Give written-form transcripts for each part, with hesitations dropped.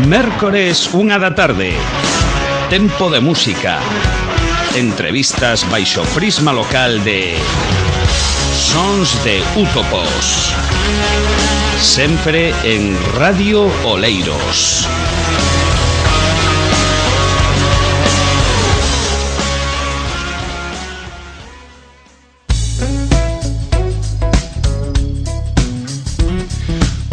Mércores, 1:00 p.m. Tempo de música. Entrevistas baixo prisma local de Sons de Útopos. Sempre en Radio Oleiros.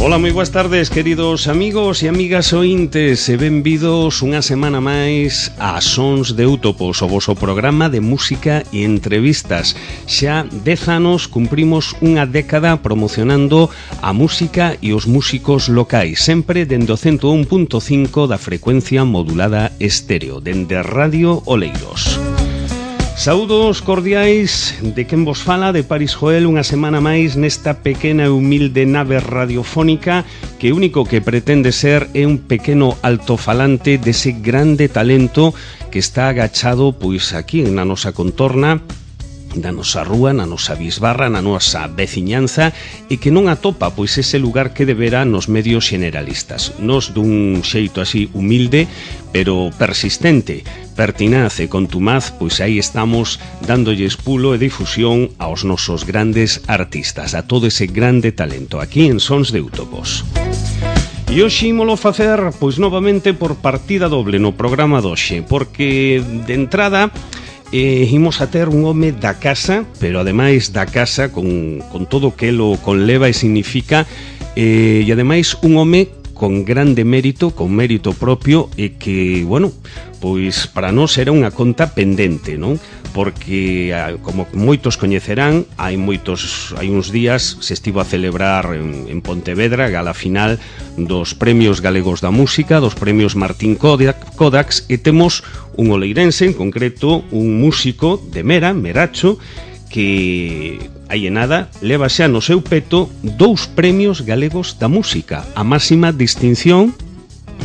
Ola, moi boas tardes, queridos amigos e amigas ointes, e benvidos unha semana máis a Sons de Útopos, o voso programa de música e entrevistas. Xa 10 anos cumprimos unha década promocionando a música e os músicos locais, sempre dende o 101.5 da frecuencia modulada estéreo, dende Radio Oleiros. Saúdos cordiais de quen vos fala, de Paris Joel, unha semana máis nesta pequena e humilde nave radiofónica que o único que pretende ser é un pequeno altofalante dese grande talento que está agachado pois aquí na nosa contorna, na nosa rúa, na nosa bisbarra, na nosa veciñanza, e que non atopa pois ese lugar que debera nos medios generalistas. Nos dun xeito así humilde, pero persistente, pertinaz e contumaz, pois aí estamos dándolles pulo e difusión aos nosos grandes artistas, a todo ese grande talento aquí en Sons de Útopos. E hoxe ímolo facer pois novamente por partida doble no programa doxe, porque de entrada imos a ter un home da casa, pero ademais da casa con todo o que lo conleva e significa, e ademais un home con grande mérito, con mérito propio, e que, bueno, pois para nós era unha conta pendente, non? Porque, como moitos coñecerán, hai uns días se estivo a celebrar en Pontevedra a gala final dos Premios Galegos da Música, dos Premios Martín Kodax, e temos un oleirense, en concreto un músico de Meracho, que hai en nada leva xa no seu peto 2 Premios Galegos da Música, a máxima distinción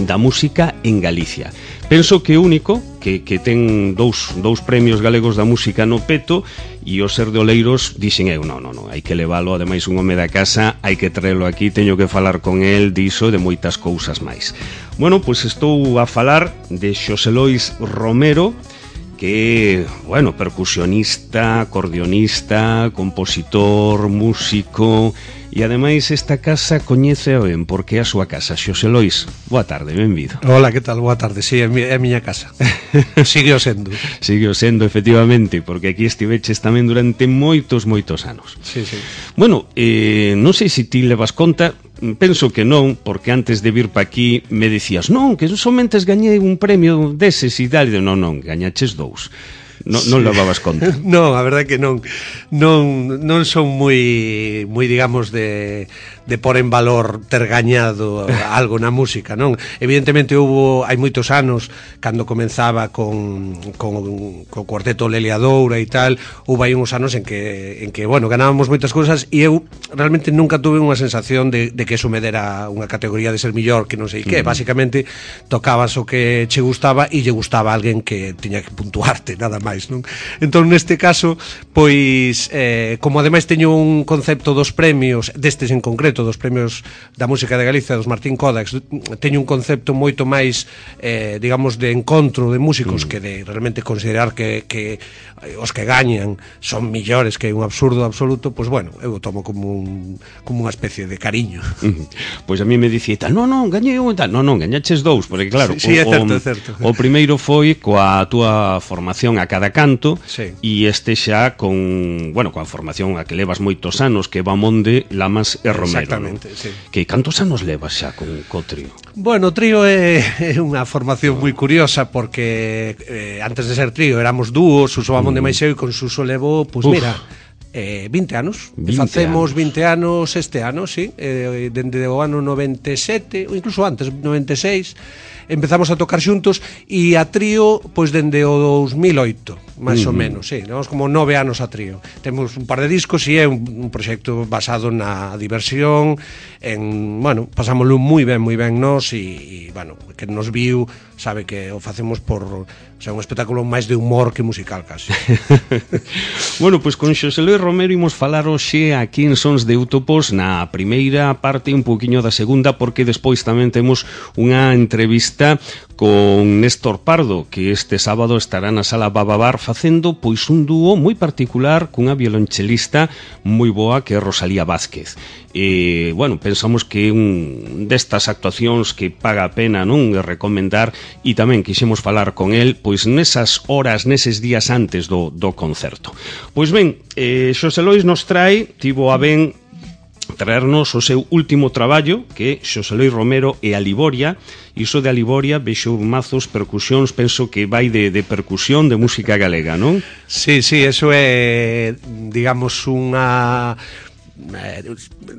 da música en Galicia. Penso que o único que ten dous Premios Galegos da Música no peto, e o ser de Oleiros dixen eu, non, hai que leválo, ademais un home da casa, hai que traelo aquí, teño que falar con el diso, de moitas cousas máis. Bueno, pois estou a falar de Xosé Lois Romero, que, bueno, percusionista, acordeonista, compositor, músico, e ademais esta casa coñece ben porque é a súa casa. Xosé Lois, boa tarde, benvido. Hola, que tal? Boa tarde, sí, é a miña casa. Sigue o sendo. Sigue o sendo, efectivamente, porque aquí estiveches tamén durante moitos anos. Sí. Bueno, non sei se ti levas conta, penso que non, porque antes de vir pa aquí me decías, non, que somente gañei un premio deses e tal, non, gañaches 2. Non levabas conta. Non, a verdade que non son moi digamos de por en valor ter gañado algo na música, non? Evidentemente hai moitos anos cando comenzaba con Cuarteto Lelia Doura e tal, houve aí uns anos en que bueno, ganábamos moitas cousas e eu realmente nunca tuve unha sensación de que eso me dera unha categoría de ser millor que non sei que, basicamente tocabas o que che gustaba e lle gustaba a alguén que tiña que puntuarte, nada máis, non? Entón, neste caso, pois, como ademais teño un concepto dos premios, destes en concreto, dos Premios da Música de Galicia, dos Martín Kodax, teño un concepto moito máis, digamos, de encontro de músicos que de realmente considerar que os que gañan son millores, que é un absurdo absoluto, pois, bueno, eu o tomo como unha especie de cariño. Pois a mí me dicía tal, non, gañei un tal, non, gañaches 2, porque claro, sí, é certo. O primeiro foi coa túa formación a cada canto, sí. E este xa coa formación a que levas moitos anos, que va Monde, Lamas e Romero. Exactamente, ¿no? sí. Que cantos anos levas xa co trío? Bueno, o trío é unha formación moi curiosa porque antes de ser trío éramos dúos, Suso Bamón de Maixeu, e con Suso levo, pois mira, 20 anos. 20 anos este ano, sí, dende o ano 97, ou incluso antes, 96, empezamos a tocar xuntos, e a trío, pois dende o 2008, máis ou menos, sí, levamos como 9 anos a trío. Temos un par de discos e é un proxecto basado na diversión, bueno, pasámoslo moi ben nós, e bueno, que nos viu sabe que o facemos por, o sea, un espectáculo máis de humor que musical casi. Bueno, pois con Xosé Luis Romero imos falar hoxe aquí en Sons de Útopos na primeira parte e un poquinho da segunda, porque despois tamén temos unha entrevista con Néstor Pardo, que este sábado estará na Sala Bababar facendo pois un dúo moi particular cunha violonchelista moi boa que é Rosalía Vázquez. Bueno, pensamos que un destas actuacións que paga a pena, non, recomendar, e tamén quixemos falar con el pois nesas horas, neses días antes do concerto. Pois ben, Xosé Lois nos tivo a ben traernos o seu último traballo, que é Xosé Lois Romero e a Liboria. Iso de a Liboria, vexo mazos, percusións, penso que vai de percusión de música galega, non? Sí, eso é, digamos, unha...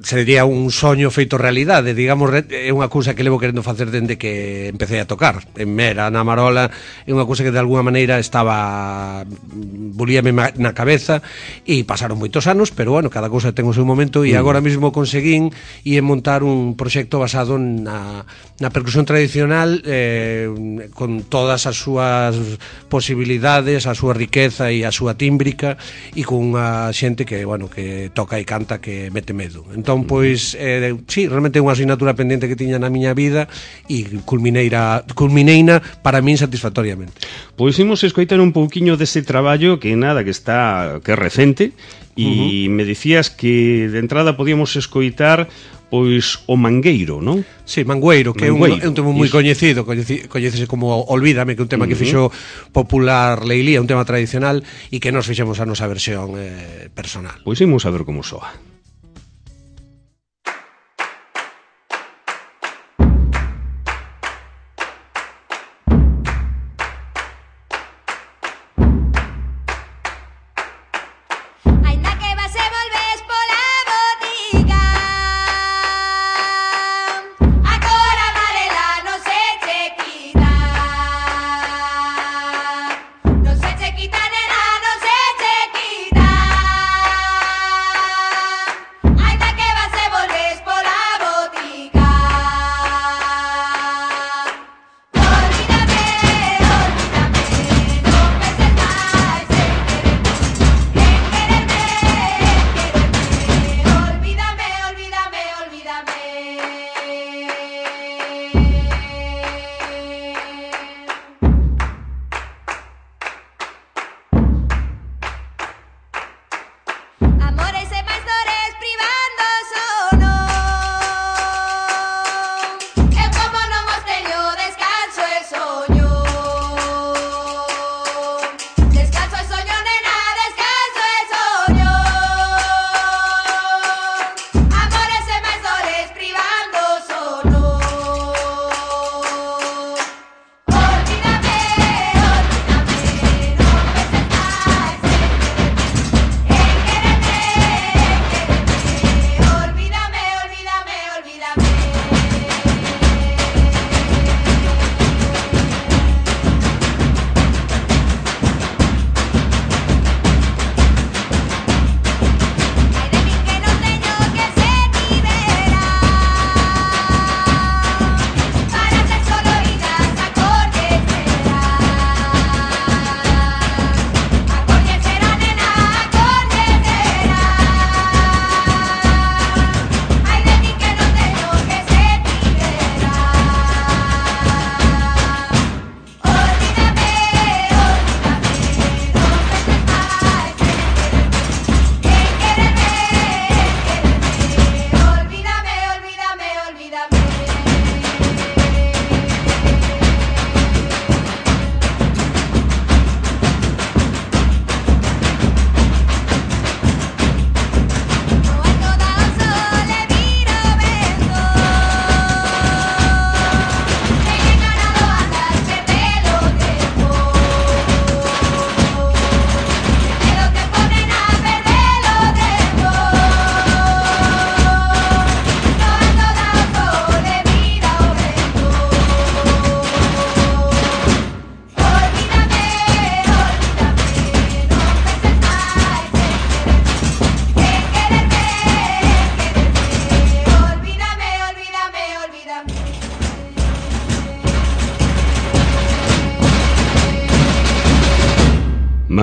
sería un soño feito realidade, digamos, é unha cousa que levo querendo facer dende que empecé a tocar en Mera, na Marola. É unha cousa que de alguna maneira estaba volíame na cabeza e pasaron moitos anos, pero bueno, cada cousa ten o seu momento, e agora mesmo conseguín e montar un proxecto basado na percusión tradicional, con todas as súas posibilidades, a súa riqueza e a súa tímbrica, e con unha xente que, bueno, que toca e canta que mete medo. Entón, pois, sí, realmente é unha asignatura pendente que tiña na miña vida, e culmineina para min satisfactoriamente. Pois imos escoitar un pouquiño dese traballo que nada, que é recente, e me dicías que de entrada podíamos escoitar pois o Mangueiro, non? Sí, Mangueiro, que é un tema moi coñecido, coñecese como Olvídame, que é un tema que fixo popular Leilía, un tema tradicional, e que nos fixemos a nosa versión personal. Pois imos a ver como soa.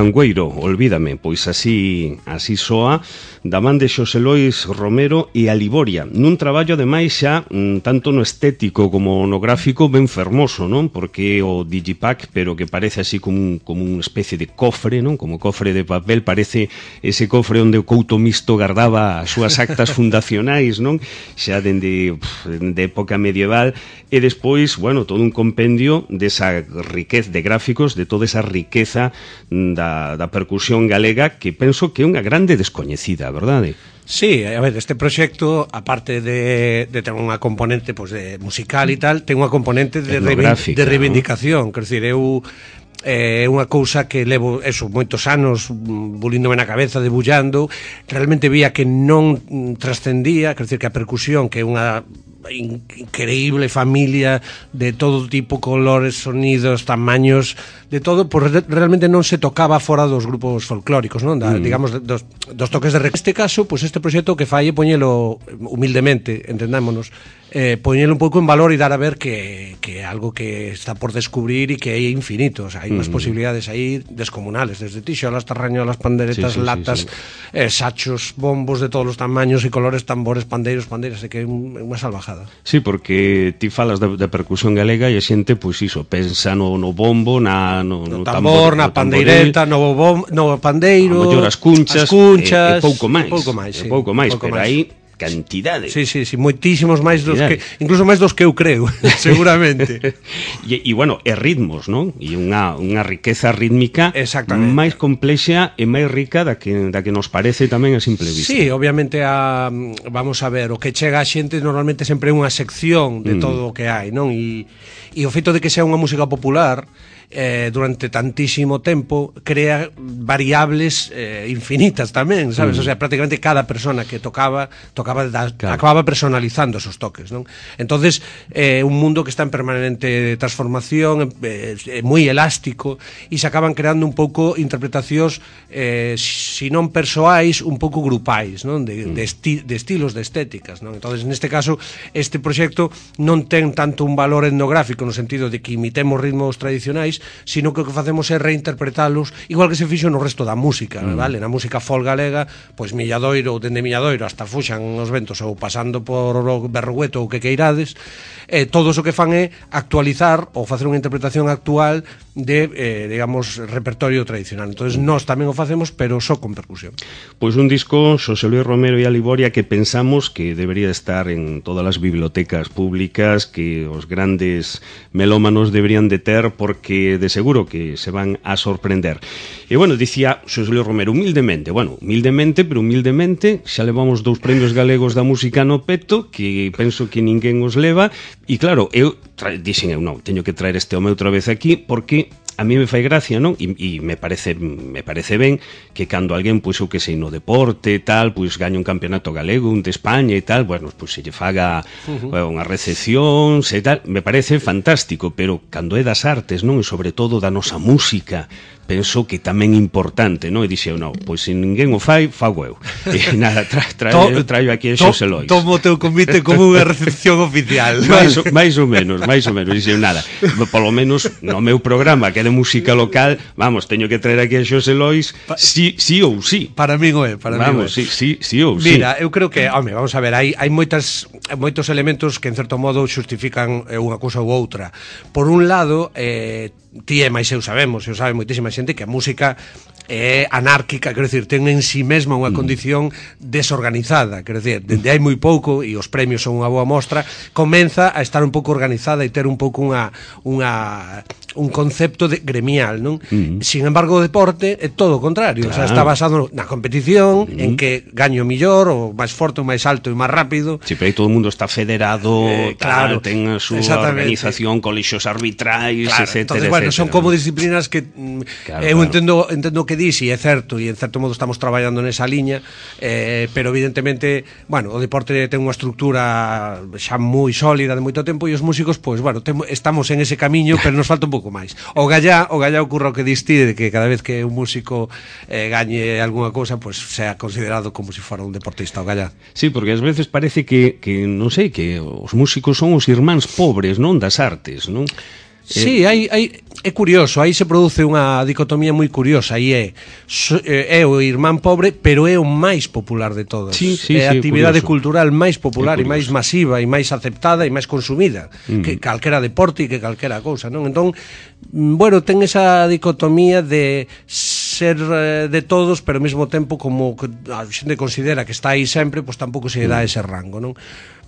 Mangueiro, Olvídame, pois así soa, da man de Xosé Lois Romero e a Liboria, nun traballo ademais xa tanto no estético como no gráfico ben fermoso, non? Porque o digipack, pero que parece así como unha especie de cofre, non? Como cofre de papel, parece ese cofre onde o Couto Misto gardaba as súas actas fundacionais, non? Xa dende época medieval, e despois, bueno, todo un compendio desa riqueza de gráficos, de toda esa riqueza da percusión galega, que penso que é unha grande descoñecida, verdade? Sí, a ver, este proxecto, aparte de ter unha componente pues, de musical e tal, ten unha componente de reivindicación, quer dizer, é unha cousa que levo moitos anos bulíndome na cabeza, debullando, realmente vía que non trascendía, quer dizer, que a percusión, que é unha increíble familia de todo tipo, colores, sonidos, tamaños, de todo, pues realmente non se tocaba fora dos grupos folclóricos, non? Digamos, dos toques de este caso, pues este proxecto que fai é poñelo humildemente, entendámonos, poñelo un pouco en valor e dar a ver que é algo que está por descubrir e que é infinito, o sea, hai unhas posibilidades aí descomunales, desde tixolas, tarrañolas, panderetas, latas, sachos, bombos de todos os tamaños e colores, tambores, pandeiros, pandeiras, que é unha salvajada. Sí, porque ti falas da percusión galega e a xente, pois iso, pensa no bombo, no tambor, na pandeireta, no pandeiro, a mellor as cunchas, e pouco máis, pero aí cantidade. Sí, moitísimos máis dos que, incluso máis dos que eu creo, seguramente. E bueno, e ritmos, non? E unha riqueza rítmica máis complexa e máis rica da que nos parece tamén a simple vista. Sí, obviamente vamos a ver, o que chega a xente normalmente sempre é unha sección de todo o que hai, non? E o feito de que sea unha música popular durante tantísimo tempo crea variables infinitas tamén, sabes? O sea, prácticamente cada persona que tocaba acababa personalizando esos toques, non? Entonces, un mundo que está en permanente transformación, moi elástico, e se acaban creando un pouco interpretacións si non persoais, un pouco grupais, non? De estilos, de estéticas, non? Entonces, neste caso, este proxecto non ten tanto un valor etnográfico no sentido de que imitemos ritmos tradicionais, sino que o que facemos é reinterpretalos igual que se fixo no resto da música, vale? Na música folk galega, pois Milladoiro, dende Milladoiro hasta Fuxan os ventos ou pasando por Berrugueto ou que queirades, todos o que fan é actualizar ou facer unha interpretación actual de, digamos, repertorio tradicional. Entonces nós tamén o facemos, pero só con percusión. Pois un disco, Xosé Luis Romero e a Liboria, que pensamos que debería estar en todas as bibliotecas públicas, que os grandes melómanos deberían de ter, porque de seguro que se van a sorprender. E bueno, dicía Xosé Luis Romero, humildemente, pero humildemente, xa levamos 2 premios galegos da música no peto, que penso que ninguén os leva, e claro, eu dixen, non, teño que traer este home outra vez aquí, porque a mí me fai gracia, non? E me parece ben que cando alguén, pois, o que sei, no deporte e tal, pois, gaña un campeonato galego, un de España e tal, bueno, pois, se lle faga unha recepción e tal, me parece fantástico, pero cando é das artes, non? E sobre todo da nosa música, penso que tamén importante, non? E dixeu, non, pois se ninguén o fai, fago eu. E nada, traio aquí a Xosé Lois. Tomo o teu convite como unha recepción oficial. máis ou menos. Dixeu, nada, polo menos no meu programa, que é de música local, vamos, teño que traer aquí a Xosé Lois, sí ou sí. Para min o é, vamos, sí ou sí. Mira, eu creo que, home, vamos a ver, hai moitos elementos que en certo modo xustifican unha cousa ou outra. Por un lado, ti e máis eu sabemos, eu sabe moitísima xente que a música é anárquica, quero dicir, ten en si mesma unha condición desorganizada, quero dicir, dende hai moi pouco, e os premios son unha boa mostra, comeza a estar un pouco organizada e ter un pouco un concepto gremial, non? Sin embargo, o deporte é todo o contrario, claro. O sea, está basado na competición, en que gaño mellor, o máis forte, o máis alto e máis rápido. Si, pero aí todo o mundo está federado, claro, ten a súa organización, colexios arbitrais, claro, etcétera. Entonces, bueno, son como disciplinas que eu entendo que dis, e é certo, e en certo modo estamos traballando nesa liña, pero evidentemente, bueno, o deporte ten unha estructura xa moi sólida de moito tempo, e os músicos, pois, bueno, estamos en ese camiño, pero nos falta un pouco máis. O gallá ocurre o que diste, de que cada vez que un músico gañe algunha cousa, pois sea considerado como se fora un deportista o gallá. Sí, porque ás veces parece que non sei, que os músicos son os irmáns pobres, non, das artes, non? Sí, hai é curioso, aí se produce unha dicotomía moi curiosa, e é o irmán pobre, pero é o máis popular de todas. É a actividade cultural máis popular e máis masiva e máis aceptada e máis consumida que calquera deporte e que calquera cousa, non? Entón, bueno, ten esa dicotomía de ser de todos, pero ao mesmo tempo como que a xente considera que está aí sempre, pois tampouco se dá ese rango, non?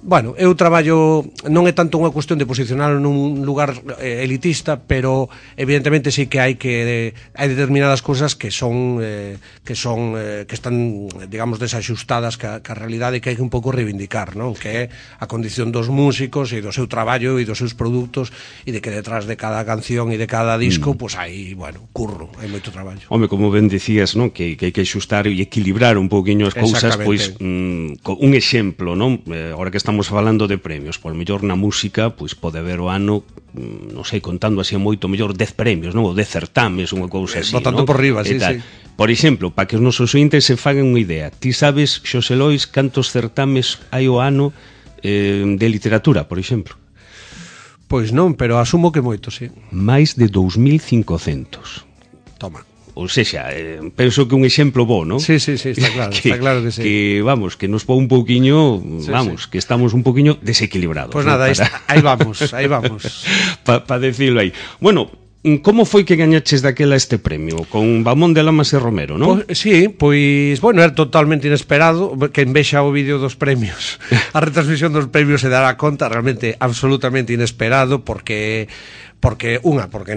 Bueno, eu traballo, non é tanto unha cuestión de posicionarlo nun lugar elitista, pero evidentemente sí que hai determinadas cousas que están, digamos, desaxustadas ca realidade, que hai que un pouco reivindicar, non? Que é a condición dos músicos e do seu traballo e dos seus produtos, e de que detrás de cada canción e de cada disco, pois hai, bueno, curro, hai moito traballo. Home, como ben decías, non? Que hai que xustar e equilibrar un pouquiño as cousas, pois un exemplo, non? Agora que estamos falando de premios, por mellor na música, pois pode haber o ano, non sei, contando así moito, mellor 10 premios, non? Ou 10 certames, unha cousa así, botando por riba, sí, sí. Por exemplo, para que os nosos ointes se fagan unha idea, ti sabes, Xosé Lois, cantos certames hai o ano de literatura, por exemplo? Pois non, pero asumo que moito, sí. Máis de 2.500. Toma. Ou sexa, penso que un exemplo bo, non? Sí, está claro, está claro que sí. Que, vamos, que nos pon un pouquiño, vamos, que estamos un pouquiño desequilibrados. Pois nada, aí vamos. Para decirlo aí. Bueno, como foi que gañaches daquela este premio? Con Vamón de Lamas e Romero, non? Sí, pois, bueno, era totalmente inesperado. Que envexa o vídeo dos premios. A retransmisión dos premios se dará conta, realmente absolutamente inesperado, porque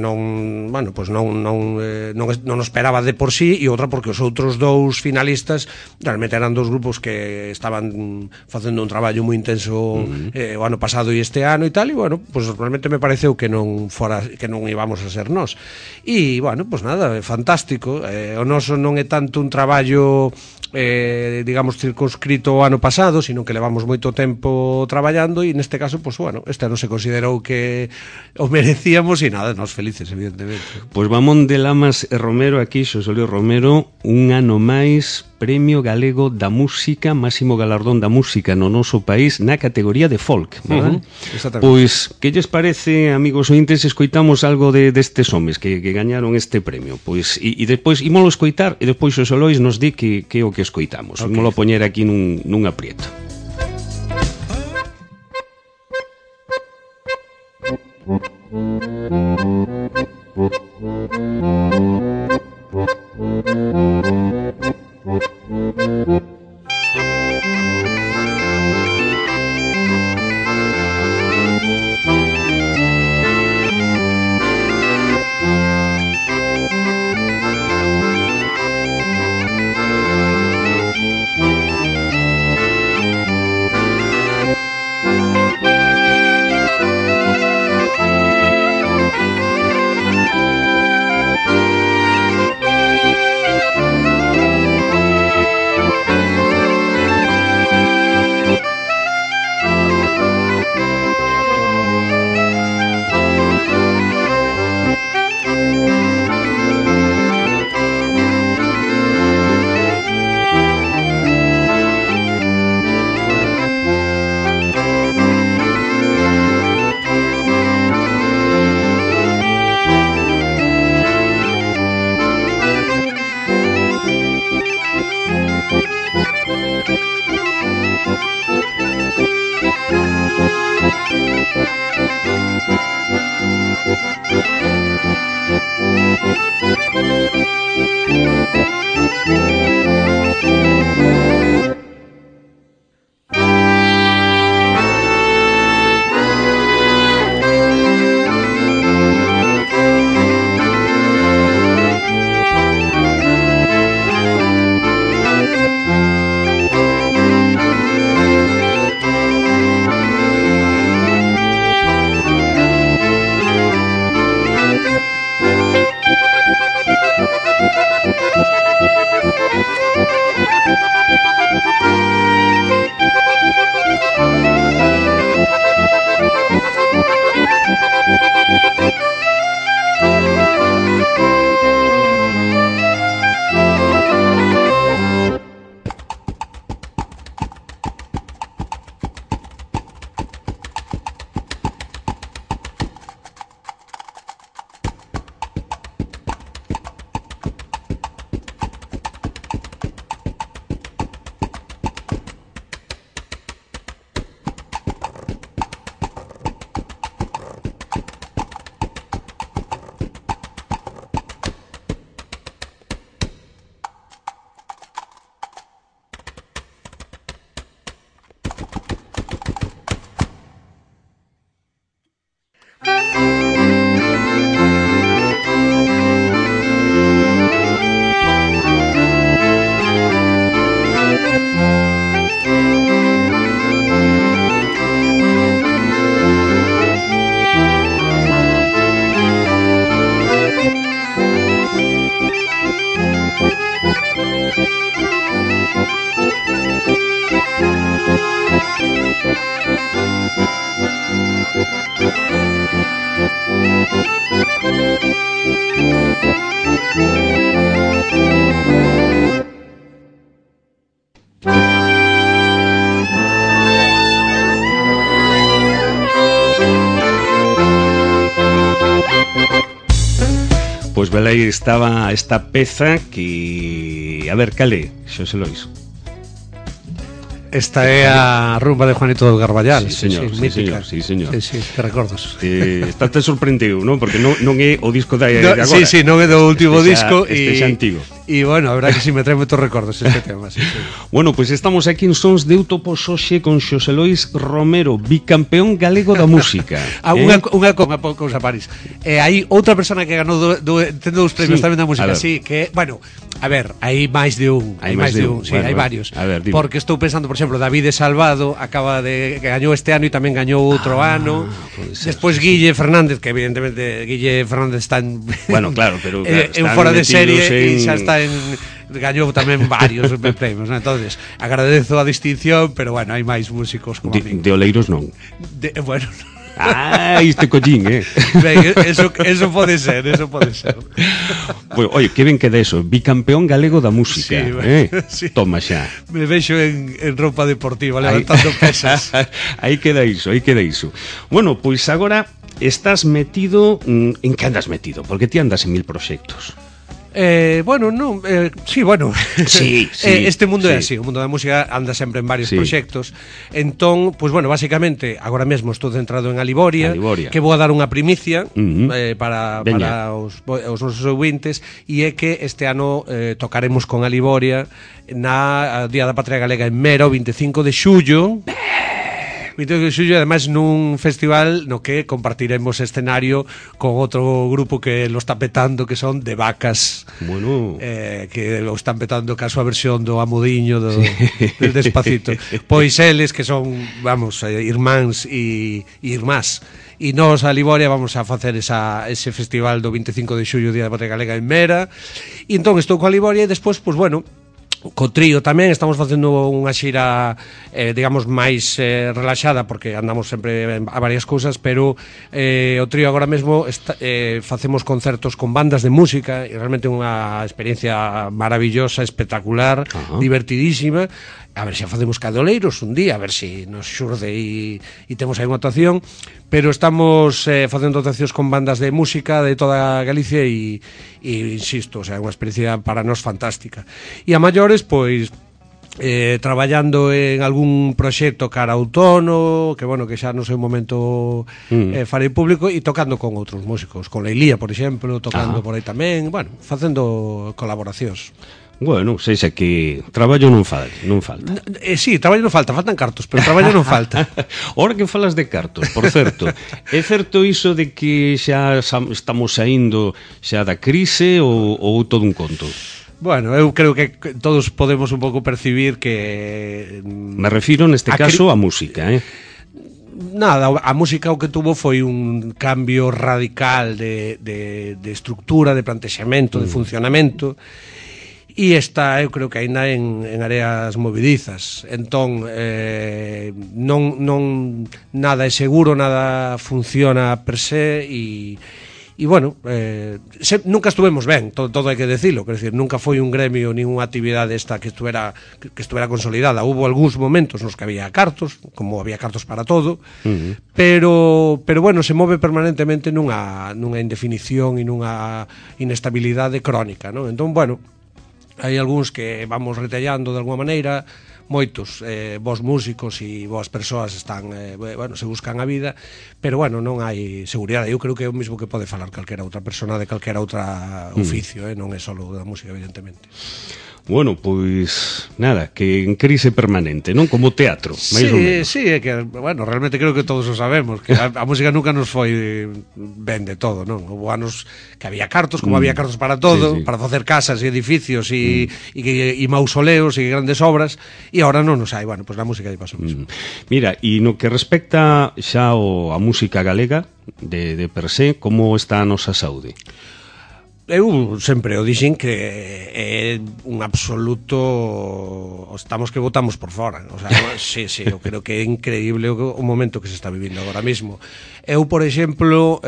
non, bueno, pois non esperaba de por sí, e outra porque os outros dous finalistas realmente eran dous grupos que estaban facendo un traballo moi intenso o ano pasado e este ano e tal, e bueno, pois realmente me pareceu que non íbamos a ser nós. E bueno, pois nada, fantástico. O noso non é tanto un traballo digamos circunscrito o ano pasado, sino que levamos moito tempo traballando, e neste caso, pois bueno, este ano se considerou que o merecía e nada, nós felices, evidentemente. Pois Vamón de Lamas e Romero, aquí Xosé Luis Romero, un ano máis Premio Galego da Música, máximo galardón da música no noso país na categoría de folk, verdad? Pois, que lles parece, amigos ointes, escoitamos algo destes homes que gañaron este premio? Pois, e despois ímolo escoitar, e despois Xosé Luis nos di que é o que escoitamos. Ímolo poñer aquí nun aprieto. pois velei estaba esta peza que... A ver, cale, Xosé Lois. Esta é a rumba de Juanito del Garballal. Sí, señor, sí, mítica. señor. Sí, que recordos. Estate sorprendido, non? Porque non é o disco de agora. Sí, non é do último disco. Este xa antigo. E, bueno, a verdade que si me trae moitos recordos este tema, sí. Bueno, pois estamos aquí en Sons de Útopos hoxe con Xosé Lois Romero, bicampeón galego da música. Unha cousa, París. Hai outra persona que ganou tendo dous premios tamén da música, sí, que, bueno, a ver, hai máis de un. Hai máis de un, sí, hai varios. Porque estou pensando, por exemplo, David Salvado acaba de que gañou este ano e tamén gañou outro ano. Despois Guille Fernández, que evidentemente Guille Fernández está en... Bueno, claro, pero en fora de serie e xa está gañou tamén varios premios, ¿no? Entonces, agradezo a distinción, pero bueno, hai máis músicos como a mí. De Oleiros non. Bueno, este collín, Ben, eso pode ser, Bueno, oye, que ben queda eso, bicampeón galego da música, sí. Toma xa. Me vexo en roupa deportiva levantando pesas. Aí queda iso. Bueno, pois agora estás metido, en que andas metido? Porque ti andas en 1000 proxectos. Bueno, non, sí, bueno. Sí, este mundo é así, o mundo da música anda sempre en varios proxectos. Entón, pois bueno, basicamente, agora mesmo estou centrado en Aliboria, que vou a dar unha primicia para os nosos ouvintes, e é que este ano tocaremos con Aliboria na Día da Patria Galega en Mera, o 25 de xullo. 25 de xullo, ademais nun festival no que compartiremos escenario con outro grupo que lo está petando, que son De Vacas. Bueno, que lo están petando caso a versión do Amudiño del Despacito. Pois eles que son, vamos, irmáns e irmás. E nós a Liboria vamos a facer ese festival do 25 de xullo, Día da Patria Galega en Mera. E entón estou coa Liboria e despois, pois bueno, co trío tamén estamos facendo unha xira digamos máis relaxada, porque andamos sempre a varias cousas, pero o trío agora mesmo facemos concertos con bandas de música e realmente unha experiencia maravillosa, espectacular, divertidísima. A ver se facemos Cadoleiros un día, a ver se nos xurde e temos aí unha actuación, pero estamos facendo actuacións con bandas de música de toda Galicia e insisto, o sea, unha experiencia para nós fantástica. E a maiores, pois traballando en algún proxecto cara outono, que bueno, que xa no sei un momento farei público, e tocando con outros músicos, con Leilía, por exemplo, tocando por aí tamén, bueno, facendo colaboracións. Bueno, seixa que traballo non falta. Sí, traballo non falta, faltan cartos, pero traballo non falta. Ora que falas de cartos, por certo, é certo iso de que xa estamos saindo xa da crise ou todo un conto? Bueno, eu creo que todos podemos un pouco percibir que... Me refiro neste caso á música, Nada, a música o que tuvo foi un cambio radical de estructura, de plantexamento, de funcionamento. E esta, eu creo que aínda en áreas movidizas. Entón, non nada é seguro, nada funciona per se e bueno, nunca estuvemos ben, todo hai que decirlo, quer decir, nunca foi un gremio nin unha actividade esta que estuvera consolidada. Hubo algúns momentos nos que había cartos, como había cartos para todo, pero bueno, se move permanentemente nunha indefinición e nunha inestabilidade crónica, non? Entón, bueno, hai algúns que vamos retallando de alguma maneira, moitos bons músicos e boas persoas están, bueno, se buscan a vida, pero bueno, non hai seguridade. Eu creo que é o mesmo que pode falar calquera outra persona de calquera outra oficio, non é só da música, evidentemente. Bueno, pois nada, que en crise permanente, non? Como teatro, máis ou menos. Sí, é que, bueno, realmente creo que todos o sabemos, que a música nunca nos foi ben de todo, non? Houve anos que había cartos, como había cartos para todo, para facer casas e edificios e mausoleos e grandes obras, e agora non nos hai. Bueno, pois a música aí pasou mesmo. Mira, e no que respecta xa a música galega de per se, como está a nosa saúde? Eu sempre o dixen que é un absoluto, estamos que votamos por fora, o sea, sí, eu creo que é increíble o momento que se está vivindo agora mesmo. Eu, por exemplo,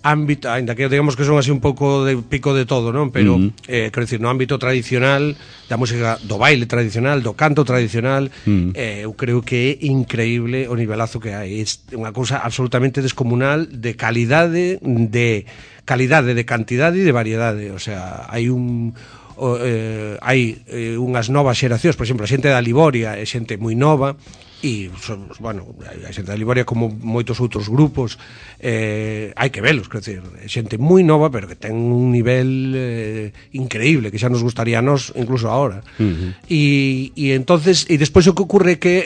ámbito, ainda que digamos que son así un pouco de pico de todo, non? Pero, quero dicir, no ámbito tradicional da música, do baile tradicional, do canto tradicional, eu creo que é increíble o nivelazo que hai. É unha cousa absolutamente descomunal de calidade, de cantidade e de variedade. O sea, hai unhas novas xeracións, por exemplo, a xente da Liboria é xente moi nova, e, bueno, a xente da Liboria, como moitos outros grupos, hai que velos, quer dizer, xente moi nova, pero que ten un nivel increíble, que xa nos gustaría a nós, incluso ahora. E entonces, e despois o que ocurre é que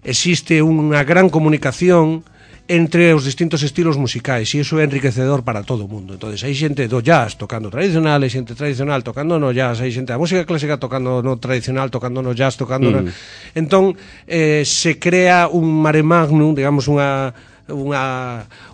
existe unha gran comunicación entre os distintos estilos musicais, e iso é enriquecedor para todo o mundo. Entonces, hai xente do jazz tocando tradicional, hai xente tradicional tocando no jazz, hai xente da música clásica tocando no tradicional, tocando no jazz, tocando no... Entón, se crea un mare magnum, digamos, un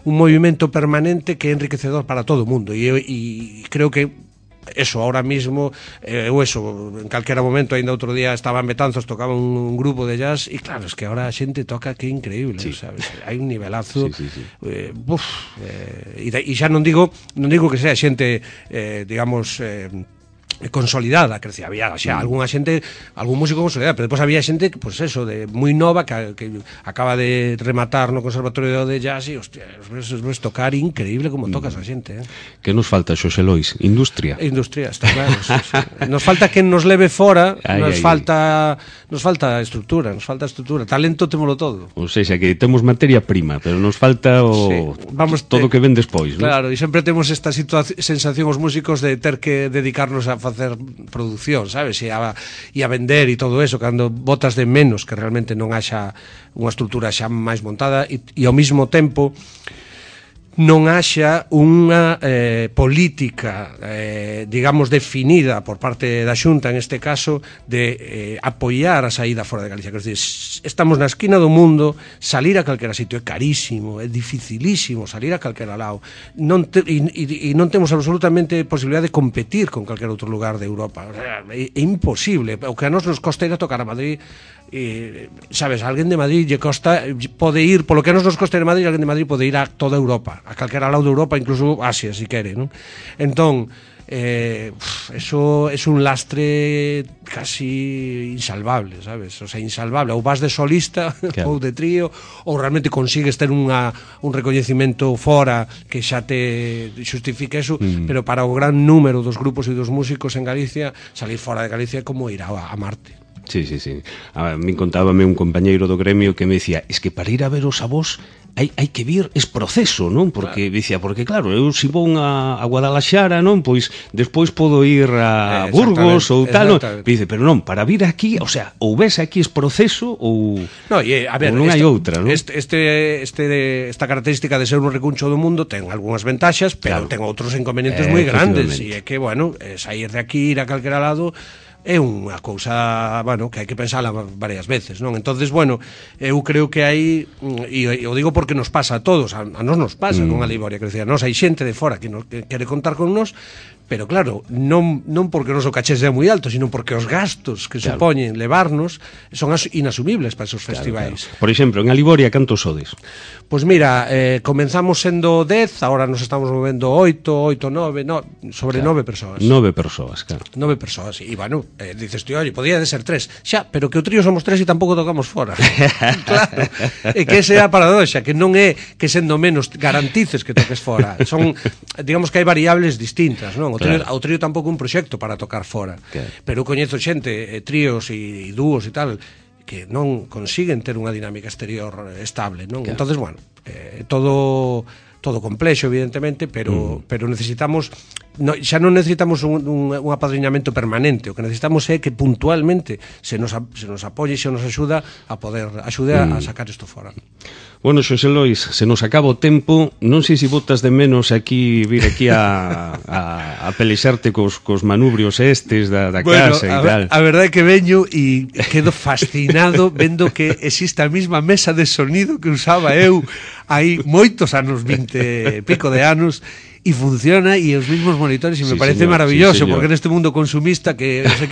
movimento permanente que é enriquecedor para todo o mundo, e creo que eso, ahora mismo, en calquera momento, ainda outro día estaba en Betanzos, tocaba un grupo de jazz, e claro, es que ahora a xente toca que increíble, sabes? Hai un nivelazo, e xa non digo que sea xente, digamos, consolidada, que decía, había xa algunha xente, algún músico consolidado, pero depois había xente, pues eso, de moi nova, que acaba de rematar no Conservatorio de Jazz, e hostia, os ves tocar increíble como tocas a xente, Que nos falta, Xosé Lois? Industria. Industria, está claro, sí. Nos falta que nos leve fora, nos falta estructura, talento témolo todo. Ou seja, que temos materia prima, pero nos falta todo o que ven despois, non? Claro, e sempre temos esta sensación os músicos de ter que dedicarnos a facer produción, sabes? E a vender e todo eso, cando botas de menos que realmente non haxa unha estrutura xa máis montada, e ao mesmo tempo non haxa unha política, digamos, definida por parte da Xunta, en este caso, de apoiar a saída fora de Galicia. Quer dizer, estamos na esquina do mundo, salir a calquera sitio é carísimo, é dificilísimo salir a calquera lado, e non temos absolutamente posibilidade de competir con calquer outro lugar de Europa. O sea, é imposible. O que a nos costa ir a tocar a Madrid, sabes, alguén de Madrid lle costa, pode ir, polo que nos costa ir a Madrid, alguén de Madrid pode ir a toda Europa, a calquera lado de Europa, incluso Asia, si quere, non? Entón, eso é un lastre casi insalvable, sabes? O sea, insalvable. Ou vas de solista, ou de trío, ou realmente consigues ter un recoñecimento fora que xa te xustifique eso, pero para o gran número dos grupos e dos músicos en Galicia, salir fora de Galicia é como ir a Marte. Sí. A mí contábame un compañeiro do gremio que me decía, es que para ir a ver os avós hai que vir es proceso, non? Porque dicía, porque claro, eu se vou a Guadalaxara, non? Pois despois podo ir a Burgos ou tal, non? Dice, pero non, para vir aquí, o sea, ou ves aquí es proceso ou non hai outra, non? Esta característica de ser un recuncho do mundo ten algunhas ventaxas, pero ten outros inconvenientes moi grandes, e é que, bueno, sair de aquí, ir a calquera lado, é unha cousa, bueno, que hai que pensala varias veces, non? Entonces, bueno, eu creo que hai, e o digo porque nos pasa a todos, a nos pasa, non a Liboria, que decía, nos hai xente de fora que quere contar con nos, pero claro, non porque o noso caché sea moi alto, sino porque os gastos que supoñen levarnos son inasumibles para esos festivais. Por exemplo, en Aliboria, cantos sodes? Pois mira, comenzamos sendo 10, agora nos estamos movendo 8, 9, sobre 9 persoas. 9 persoas, claro. 9 persoas, e bueno, dices, tío, oye, podía de ser 3. Xa, pero que o trío somos 3 e tampouco tocamos fora. Claro, é que esa é a paradoxa, que non é que sendo menos garantices que toques fora. Son, digamos que hai variables distintas, non? O trío tampouco un proxecto para tocar fora. Pero eu coñezo xente, tríos e dúos e tal, que non consiguen ter unha dinámica exterior estable, non? Entonces, bueno, todo complexo, evidentemente, pero necesitamos, xa non necesitamos un apadriñamento permanente, o que necesitamos é que puntualmente se nos apoie e se nos axude a sacar isto fora. Bueno, Xosé Lois, se nos acaba o tempo, non sei se botas de menos vir aquí a pelexarte cos manubrios estes da casa e tal. A verdade é que veño e quedo fascinado vendo que existe a mesma mesa de sonido que usaba eu hai moitos anos, 20 e pico de anos, e funciona e os mismos monitores e me parece maravilloso, porque neste mundo consumista que os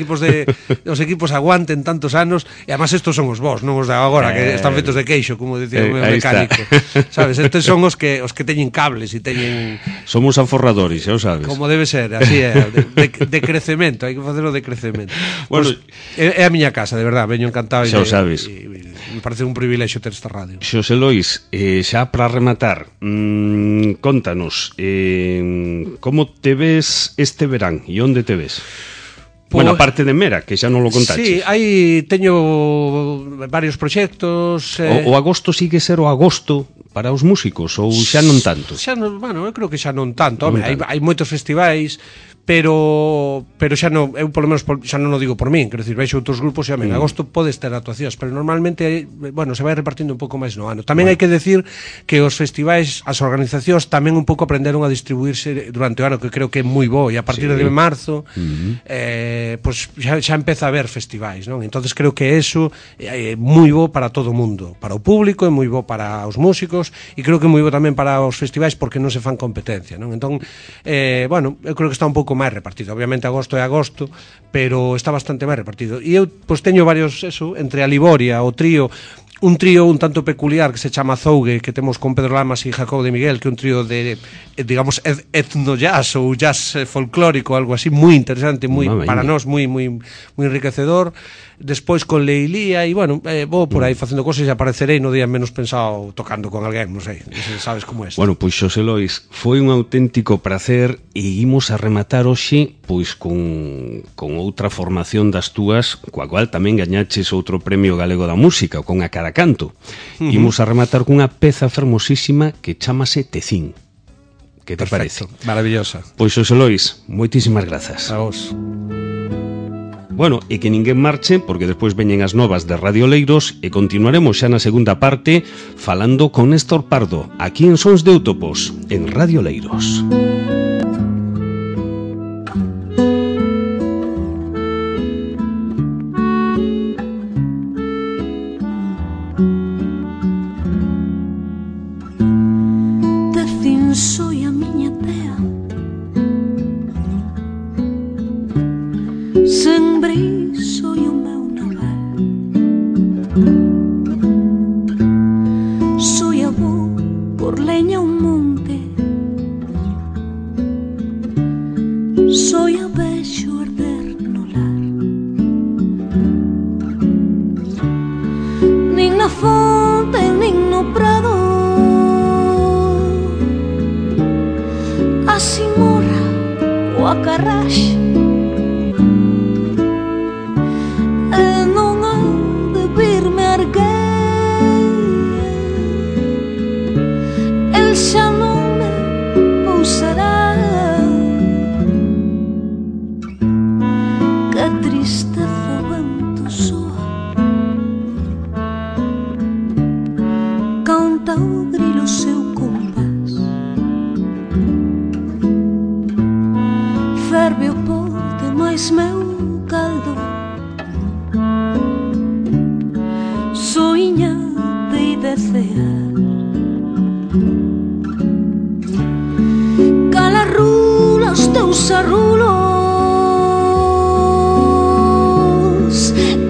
equipos aguanten tantos anos, e además estos son os vos, non os de agora que están feitos de queixo, como dicía o meu mecánico, sabes? Estes son os que teñen cables e teñen... Somos aforradores, xa o sabes. Como debe ser, así é, de crecemento, hai que facelo de crecemento. Bueno, é a miña casa, de verdad, veño encantado. Xa o sabes. Me parece un privilexio ter esta radio. Xosé Lois, xa para rematar, contanos, como te ves este verán e onde te ves? Bueno, a parte de Mera, que xa non lo contaches. Sí, aí teño varios proxectos. O agosto sigue ser o agosto para os músicos ou xa non tanto? Xa non, bueno, eu creo que xa non tanto. Home, hai moitos festivais, pero xa non, eu polo menos xa non o digo por min, quero dicir, veixo outros grupos e en agosto podes ter actuacións, pero normalmente, bueno, se vai repartindo un pouco máis no ano. Tamén hai que decir que os festivais, as organizacións tamén un pouco aprenderon a distribuirse durante o ano, que creo que é moi bo, e a partir de marzo pues xa empeza a haber festivais, non? Entonces creo que eso é moi bo para todo o mundo, para o público, é moi bo para os músicos, e creo que é moi bo tamén para os festivais porque non se fan competencia, non? Entón, bueno, eu creo que está un pouco máis repartido. Obviamente agosto é agosto, pero está bastante máis repartido. E eu pois teño varios, eso, entre a Liboria, o trío, un trío un tanto peculiar que se chama Zougue, que temos con Pedro Lamas e Jacob de Miguel, que é un trío de, digamos, etno-jazz ou jazz folclórico, algo así, moi interesante, moi para nós, moi enriquecedor. Despois con Leilía, e bueno, vou por aí facendo cosas e aparecerei no día menos pensado tocando con alguén, non sei, sabes como é. Bueno, pois Xosé Lois, foi un auténtico placer e imos a rematar hoxe pois con outra formación das túas, coa cual tamén gañaches outro premio galego da música, con A Cara Canto. Imos a rematar cunha peza fermosísima que chamase Tecín. Que te parece? Maravillosa. Pois Xosé Lois, moitísimas grazas. A vos. Bueno, e que ninguén marche, porque despois veñen as novas de Radio Leiros e continuaremos xa na segunda parte falando con Néstor Pardo, aquí en Sons de Útopos, en Radio Leiros. Soy a miña tea, sembrei soy o meu naval, soy avó por leña un monte, soy a vexo arder no lar, nin na fonte nin no prado, a simorra o a carraxe, e non ha de virme erguer, el xa non me pousará, que tristeza o vento soa, canta o grilo seu compás, ferve o pote máis meu caldo, soiñate e desear, cala rula os teus arrulos,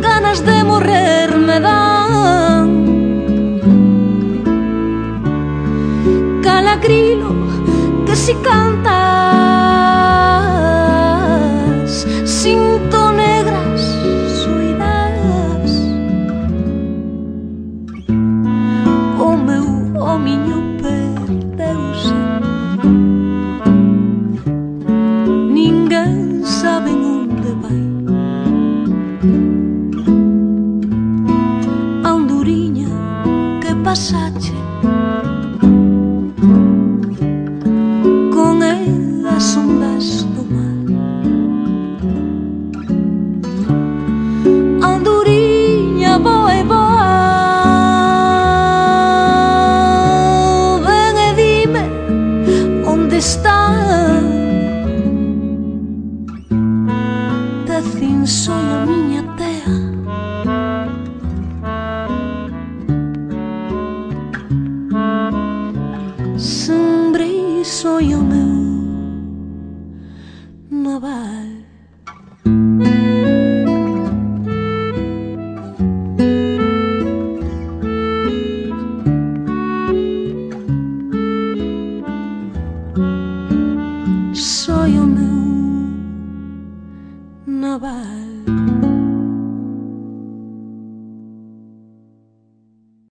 ganas de morrer me dan, cala grilo que si cantas, sinto negras soidades, o meu homiño perdeuse, ninguén sabe onde vai, a anduriña que pasache, con elas ondas do mar, anduriña boa e boa, ven e dime onde está, Tecín soy a miña tea, sembrei soy o meu